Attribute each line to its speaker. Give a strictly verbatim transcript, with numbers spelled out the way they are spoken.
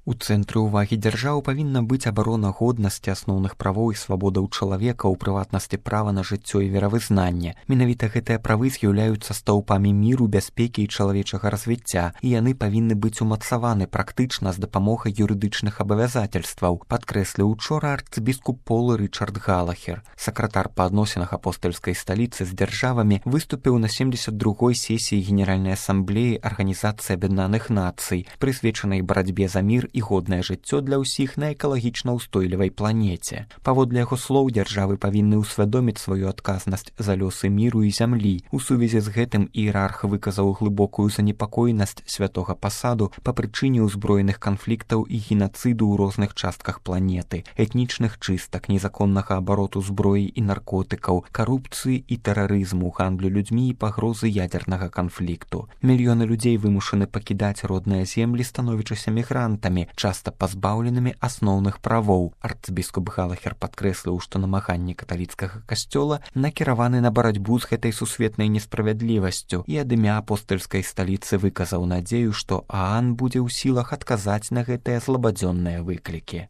Speaker 1: У цэнтры ўвагі дзяржаў павінна быць абарона годнасці, асноўных правоў і свабодаў чалавека, у прыватнасці права на жыццё і веравызнанне. Менавіта гэтыя правы з'яўляюцца стаўпамі міру, бяспекі і чалавечага развіцця, і яны павінны быць умацаваны практычна з дапамогай юрыдычных абавязательстваў, падкрэсліў учора арцыбіскуп Пол Рычард Галахер. Сакратар па адносінах апостальскай сталіцы з дзяржавамі выступіў на семдзесят другой сесіі Генеральнай асамблеі Арганізацыі Аб'яднаных Нацый, прысвечанай барацьбе за мір і годнае жыццё для ўсіх на экалагічна ўстойлівай планеце. Паводле яго слоў, дзяржавы павінны ўсвядоміць сваю адказнасць за лёсы міру і зямлі. У сувязі з гэтым іерарх выказаў глыбокую занепакоенасць святога пасаду па прычыне ўзброеных канфліктаў і генацыду ў розных частках планеты, этнічных чыстак, незаконнага абароту зброі і наркотыкаў, карупцыі і тэрарызму, гандлю людзьмі і пагрозы ядзернага канфлікту. Мільёны людзей вымушаны пакідаць родныя землі, становячыся мігрантамі, часта пазбаўленымі асноўных правоў. Арцыбіскуп Галахер падкрэсліў, што намаганні каталіцкага касцёла накіраваны на барацьбу з гэтай сусветнай несправядлівасцю і ад імя апостальскай сталіцы выказаў надзею, што ААН будзе ў сілах адказаць на гэтыя злабадзённыя выклікі.